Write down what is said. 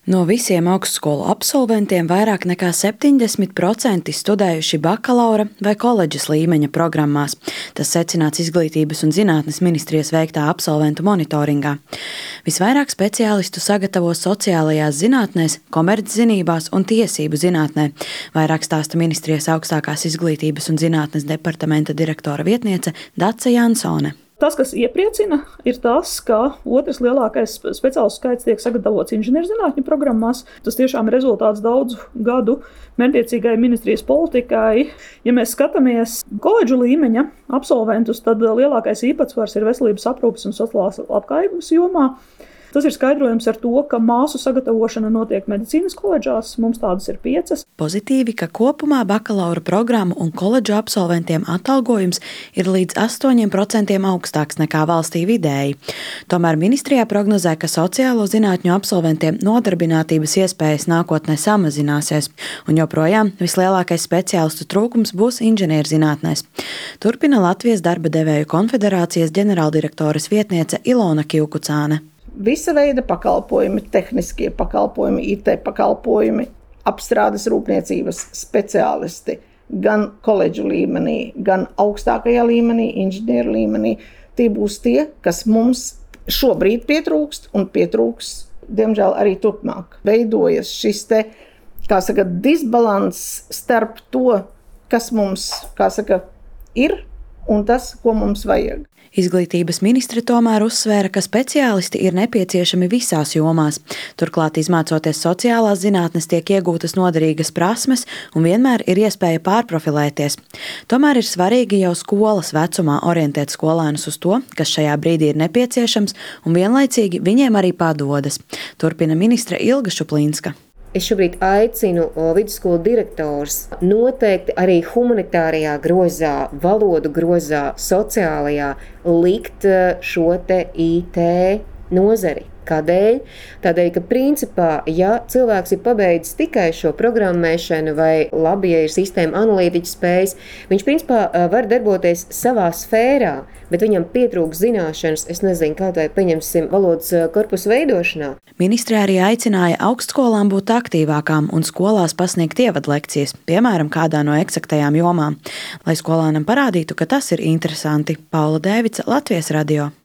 No visiem augstskolu absolventiem vairāk nekā 70% studējuši bakalaura vai koledžas līmeņa programmās. Tas secināts Izglītības un zinātnes ministrijas veiktā absolventu monitoringā. Visvairāk speciālistu sagatavo sociālajās zinātnēs, komerczinībās un tiesību zinātnē. Vairāk stāsta ministrijas augstākās izglītības un zinātnes departamenta direktora vietniece Dace Jansone. Tas, kas iepriecina, ir tas, ka otrs lielākais speciālistu skaits tiek sagatavots inženierzinātņu programmās. Tas tiešām ir rezultāts daudzu gadu mērķtiecīgai ministrijas politikai. Ja mēs skatāmies koledžu līmeņa absolventus, tad lielākais īpatsvars ir veselības aprūpes un sociālās labklājības jomā. Tas ir skaidrojams ar to, ka māsu sagatavošana notiek medicīnas koledžās, mums tādas ir 5. Pozitīvi, ka kopumā bakalaura programmu un koledžu absolventiem atalgojums ir līdz 8% augstāks nekā valstī vidēji. Tomēr ministrijā prognozē, ka sociālo zinātņu absolventiem nodarbinātības iespējas nākotnē samazināsies, un joprojām vislielākais speciālistu trūkums būs inženierzinātnēs. Turpina Latvijas darba devēju konfederācijas ģenerāldirektores vietniece Ilona Kivkucāne. Visa veida pakalpojumi, tehniskie pakalpojumi, IT pakalpojumi, apstrādes rūpniecības speciālisti gan koledžu līmenī, gan augstākajā līmenī, inženieru līmenī. Tie būs tie, kas mums šobrīd pietrūkst un pietrūks, diemžēl, arī turpmāk. Veidojas šis disbalans starp to, kas mums, ir un tas, ko mums vajag. Izglītības ministre tomēr uzsvēra, ka speciālisti ir nepieciešami visās jomās. Turklāt, izmācoties sociālās zinātnes, tiek iegūtas noderīgas prasmes un vienmēr ir iespēja pārprofilēties. Tomēr ir svarīgi jau skolas vecumā orientēt skolēnus uz to, kas šajā brīdī ir nepieciešams, un vienlaicīgi viņiem arī padodas. Turpina ministre Ilga Šuplīnska. Es šobrīd aicinu vidusskolu direktors noteikti arī humanitārajā grozā, valodu grozā, sociālajā likt šo te IT nozari. Kādēļ? Tādēļ, ka principā, ja cilvēks ir pabeidzis tikai šo programmēšanu vai labi, ja ir sistēma analītiķa spējas, viņš principā var darboties savā sfērā, bet viņam pietrūks zināšanas, kaut vai pieņemsim valodas korpusu veidošanā. Ministre arī aicināja augstskolām būt aktīvākām un skolās pasniegt ievadlekcijas, piemēram, kādā no eksaktajām jomām, lai skolānam parādītu, ka tas ir interesanti. Paula Dēvica, Latvijas radio.